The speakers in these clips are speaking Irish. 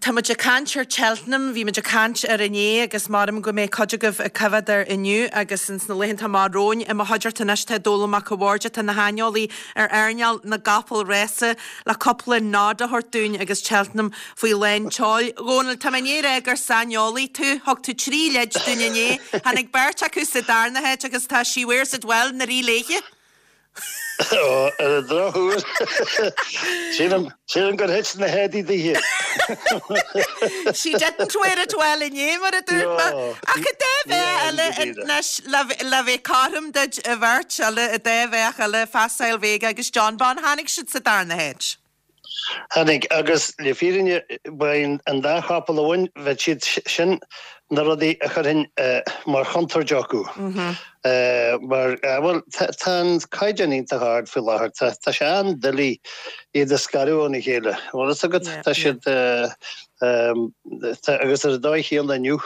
Tá muid ag caint ar Cheltenham, bhí muid ag caint air inné agus maram go mbeidh cuid agaibh ag coimhéad air inniu agus ins na laethanta amach romhainn. I mo chuideachta anois tá Dónall Mac a' Bhaird atá ina shaineolaí ar earnáil na gcapall rása le cúpla nod a thabhairt dúinn agus Cheltenham faoi lán tseoil. Dhónaill, tá mé i ndiaidh a rá gur saineolaí tú. Thug tú 3 leid dúinn inné. Tháinig beirt acu sa darna háit agus tá She Wears It Well 'na rith léithe. Ó, ar an drochuair, sílim, sílim gur thit na héadaí dithe. She didn't wear it well inné, mar a dúirt mé. No. Ach an dá bheach eile anois, le, le bheith cothrom duit, an bheirt eile, an dá bheach eile, Facile Vega agus Jonbon, tháinig siad sa darna háit. Tháinig, agus le fírinne, ba é an dá chapall a bhain, bheadh siad sin na rudaí a chuirfinn mar chontúirt acu. Mar, bhuel, tá an caighdeán iontach ard faoi láthair, tá sé an-doiligh iad a scaradh óna chéile. Bhfuil fhios agat, tá siad, agus ar an dóigh chéanna inniu,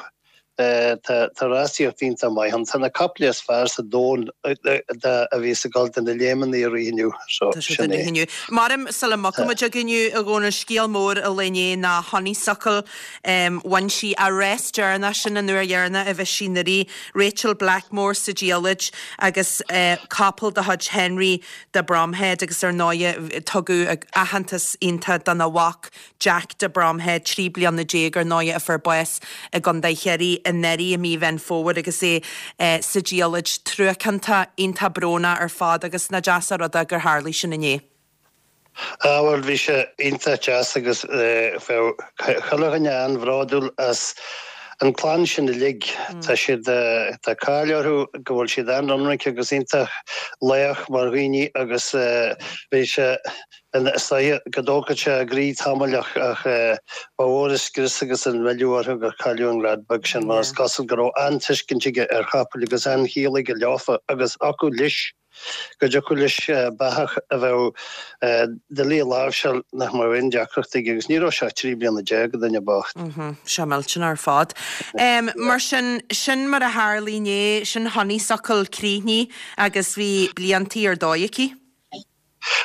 Tá rásaíocht iontach maith ann. Tá na caiple is fearr sa domhan a bhíos ag dul do na léimeanna ag rith inniu. So, Tá siad sin ag é. rith inniu. Maram sula mbogfaidh muid againn inniu, a Dhónaill, scéal mór an lae inné ná Honeysuckle. Bhain sí a rás deireanach, sin an uair dheireanach a bheidh sí 'na rith. Rachael Blackmore sa diallait agus capall de chuid Henry de Bromhead agus ar ndóighe tugadh aitheantas iontach dona mhac Jack de Bromhead, 13 bliana ar ndóighe a fuair bás i gContae Chiarraí anuraidh i mí Mheán Fómhair agus é sa diallait. Truacánta, iontach brónach ar fad agus nach deas an rud é gur tharlaigh sin inné. Ah bhuel bhí sé iontach deas agus bheadh chuile dhuine an-bhródúil as an clann sin uilig. Tá siad, tá cáil orthu go bhfuil siad an-ionraic agus iontach lách mar dhaoine agus bhí sé, Is dóiche go dtógfadh sé a gcroí tamall ach ba mhór an scrios agus an milleadh orthu gur cailleadh an leaid beag sin mar is cosúil go raibh an-tuiscint aige ar chapaill agus an-chiall aige leofa agus thiocfadh leis go dtiocfadh leis beathach a bheadh doiligh a láimhseáil nach mbeadh aon deacracht aige agus ní raibh sé ach 13 bliana, an duine bocht. Seo millteanach ar fad. Mar sin, sin mar a tharlaigh inné, sin Honeysuckle críochnaithe agus bhí bliantaí ar dóigh aici.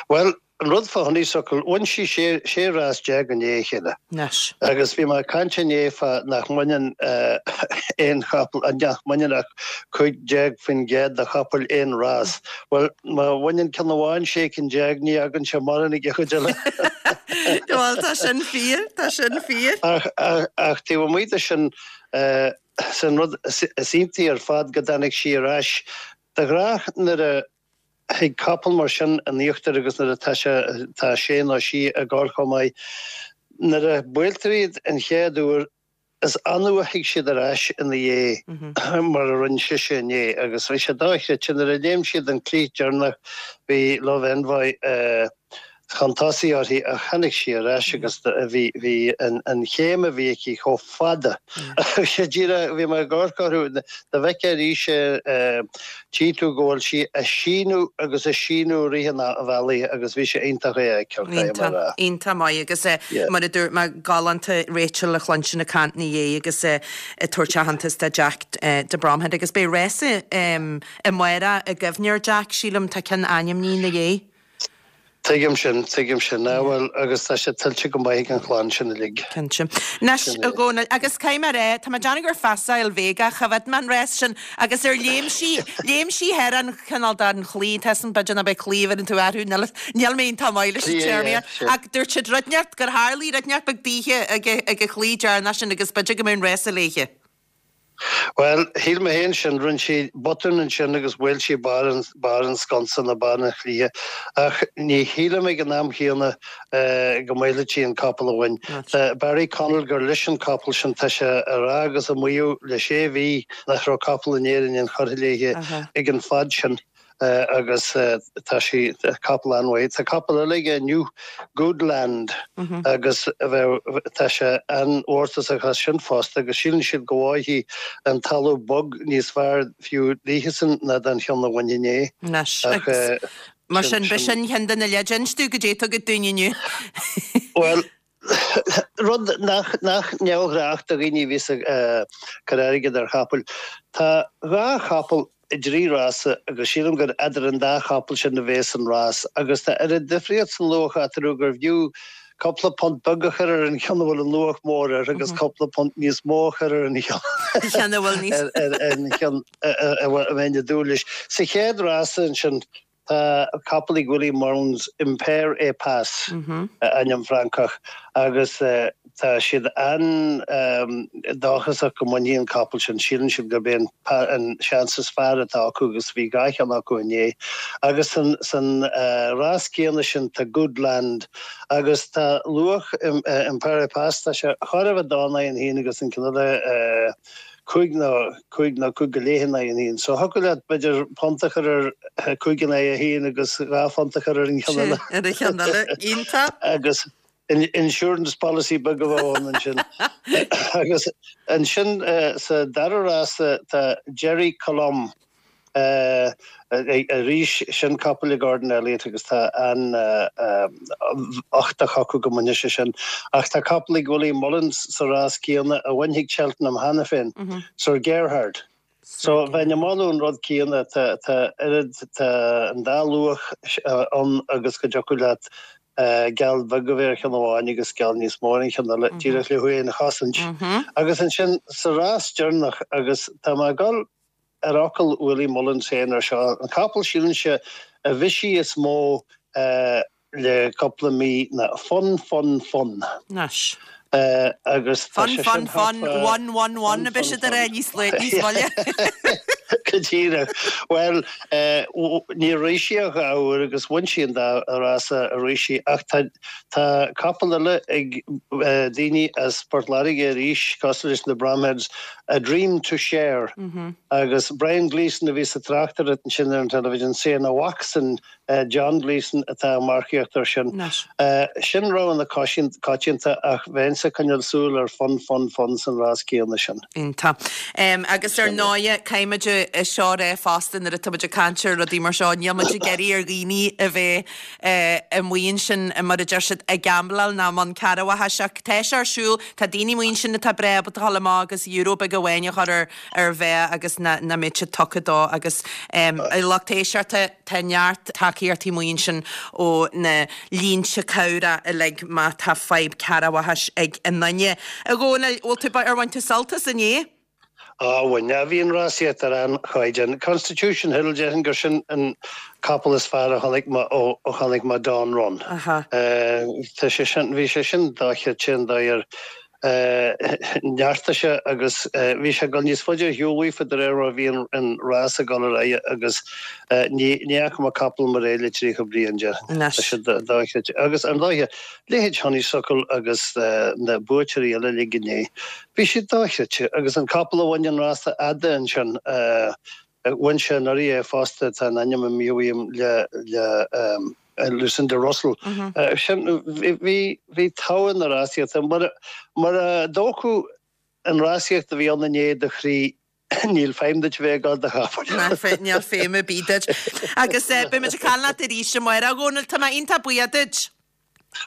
Bhuel, an rud fá Honeysuckle, bhain sí sé rás i ndiaidh a chéile. Anois. Agus bhí mé ag caint inné fá nach mbaineann aon chapall, nach mbaineann ach 15% de chapaill aon rás. Bhuel, má bhaineann ceann amháin 16 cinn, ní fhágann sé mórán ag an chuid eile. Bhuel, tá sin fíor, tá sin fíor. Ach, ach taobh amuigh de sin, sin rud is iontaí ar fad go dtáinig sí ar ais. De ghnách nuair a thig capall mar sin in íochtar agus nuair atá sé, tá sé nó sí ag gabháil chomh maith, nuair a buailtear iad an chéad uair, is annamh a thig siad ar ais ina dhiaidh mar a rinne sise inné agus bhí sé dochreidte nuair a léim siad an cliath deireanach bhí Love Envoy chun tosaigh uirthi ach tháinig sí ar ais agus bhí, bhí an chéim a bhí aici chomh fada. Bhí sé díreach, bhí mé ag amharc orthu, dá bhfeicfeá arís é, tchí tú go bhfuil sí ag síneadh agus ag síneadh i rith an bhealaigh agus bhí sé iontach é a fheiceáil, caithfidh mé a rá. Iontach, iontach maith agus mar a dúirt mé, galánta Rachel a chluinstin ag caint ina dhiaidh agus ag tabhairt aitheantas do Jack de Bromhead agus beidh rása amárach i gcuimhne ar Jack, sílim, tá ceann ainmnithe ina dhiaidh. Tuigim sin, tuigim sin. Ah bhuel, agus tá sé tuillte go maith ag an chlann sin uilig. Cinnte. Anois, a Dhónaill, agus caithfidh mé a rá, tá mé ag déanamh gur Facile Vega, choimhéad mé an rás sin, agus ar léim sí, léim sí thar an chineál den chlaí, tá san, b'fhéidir nach b'é claí a bheireann tú orthu, níl, níl mé iontach maith leis an téarmaíocht, ach dúirt siad rud inteacht, gur tharlaigh rud inteacht beag daoithe ag, ag an chlaí deireanach sin agus b'fhéidir go mbeadh an rása léithe. Bhuel, shíl mé féin sin. Rinne sí botún ansin agus bhuail sí barr an, barr an sconsa nó barr an chlaidhe. Ach ní shílim ag an am chéanna go mbuailfeadh sí an capall a bhain. Tá Barry Connell gur leis an capall sin, tá sé ag rá agus ag maíomh le sé mhí nach raibh capall in Éirinn inchurtha léithe ag an fad sin. agus tá sí, capall an-mhaith. Tá capall eile aige inniu, Goodland, agus bheadh, tá sé an-mhórtasach as sin fosta agus síleann siad go bhfaighidh an talamh bog níos fearr fiú daoithesan ná don cheann a bhain inné. Anois, agus mar sin, b'shin ceann de na leideanna. Inis dúinn goidé atá agat dúinn inniu. Bhuel, Rud nach neamhghnách do dhaoine a bhíos ag cur airgead ar chapaill. Tá dhá chapall i dtrí rása agus sílim gur eadar an dá chapall sin a bhéas an rás agus tá oiread difríocht san luach eatarthu gur bhfiú. cúpla punt beag a chur ar an cheann a bhfuil an luach mór air agus cúpla punt níos mó a chur ar an cheann a bhfuil níos ar an cheann a mbeinn ag dúil leis. Sa chéad rása ansin tá capall ag Willie Mullins, Impair Et Passe, ainm Francach, agus tá siad an-dóchasach go mbainfidh an capall sin. Síleann siad gurb é an seans is fearr atá acu agus bhí dhá cheann acu inné. Agus san rás céanna sin tá Good Land agus tá luach Impair Et Passe, tá sé chóir a bheith dó in aghaidh an haoin agus an ceann eile cúig nó cúig nó cúig go leith in aghaidh an haoin. So thiocfadh leat b'fhéidir punt a chur ar cúig in aghaidh a haoin agus dhá phunt a chur ar an cheann eile. Ar an cheann eile. Iontach. Agus insurance policy beag a bheadh ann ansin. Agus ansin sa dara rása tá Gerri Colombe arís, sin capall ag Gordon Elliott agus tá an-uchtach acu go mbainfidh sé sin. Ach tá capall ag Willie Mullins sa rás céanna a bhain ag Cheltenham cheana féin, Sir Gerhard. So bheinn ag moladh an rud céanna, tá tá oiread, tá an dá luach ann agus go dtiocfadh leat geall bheag a bheith ar cheann amháin agus geall níos mó ar an cheann eile, díreach le thú féin a chosaint. Agus ansin sa rás deireanach, agus tá mé ag dul ar fhocal Willie Mullins féin ar seo, an capall sílimse a bhisigh is mó le cúpla mí ná Fun Fun Fun. Anois. Agus tá Fun sé fun sin thart fun, fá one one one Fun a bheidh fun siad ag rá fun. níos níos moille. Go díreach. Bhuel, níor rith sí ach dhá uair agus bhain sí an dá rása a rith sí ach tá tá capall eile ag daoine as Port Láirge arís, cosúil leis na Bromheads, A Dream to Share agus Brian Gleeson a bhí sa tráchtaireacht ansin ar an television, is é a mhacsan John Gleeson atá ag marcaíocht air sin. Sin rogha na coitianta ach bheinnse ag coinneáil súil ar Fun Fun Fun san rás céanna sin. Iontach. Agus ar ndóighe, caithfimid é seo a rá fosta nuair atá muid ag caint ar rudaí mar seo, níl muid ag iarraidh ar dhaoine a bheith amuigh ansin, mar a deir siad, ag gambláil ná i mbun cearrbhachais ach tá sé ar siúl, tá daoine amuigh ansin atá breá ábalta a dhul amach agus euro beag amháin a chur ar ar bheith agus nach mbeidh siad tugtha dó agus a lucht éisteachta tá neart tacaíochtaí amuigh ansin ó na línte cabhrach uilig má tá fadhb cearrbhachais ag aon duine. A Dhónaill, bhfuil tú, ar bhain tú sult as inné? Á bhain, bhí an rásaíocht ar an-chaighdeán. Constitution Hill, déarfainn gur sin an capall is fearr a chonaic mé ó chonaic mé Dawn Run. Tá sé sin, bhí sé sin dochreidte an dóigh ar neartaigh sé agus bhí sé ag dul níos faide ar shiúl uafa de réir mar a bhí an rás ag dul ar aghaidh agus ní fhaca mé capall mar é le 30 bliain, déarfainn. Tá sé dochreidte. Agus ar ndóighe, leithéid Honeysuckle agus na buaiteoirí eile uilig inné, bhí siad dochreidte agus an capall a bhain an rása fhada ansin, Bhain sé anuraidh é fosta, tá an ainm imithe uaim le le Lucinda Russell. Sin, bhí bhí togha na rásaíochta. Mura mura dtógfadh an rásaíocht a bhí ann inné do chroí, níl feidhm duit a bheith ag gabháil do chapaill. Níl feidhm ar bith duit. Agus beidh muid ag caint leat arís amárach, a Dhónaill, tá mé iontach buíoch duit.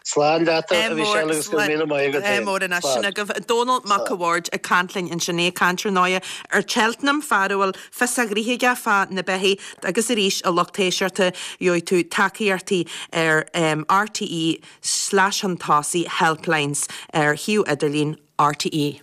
Slán leat a Mhichelle agus go raibh míle maith agat féin. Mór anois sin agaibh. Dónall Mac a' Bhaird ag caint linn ansin, é ag caint ar ndóighe ar Cheltenham, fear a bhfuil fios a ghnoithe aige fá na beithígh agus arís a lucht éisteachta gheobhaidh tú tacaíochtaí ar RTÉ slash chun tosaigh helplines ar shuíomh idirlín RTÉ.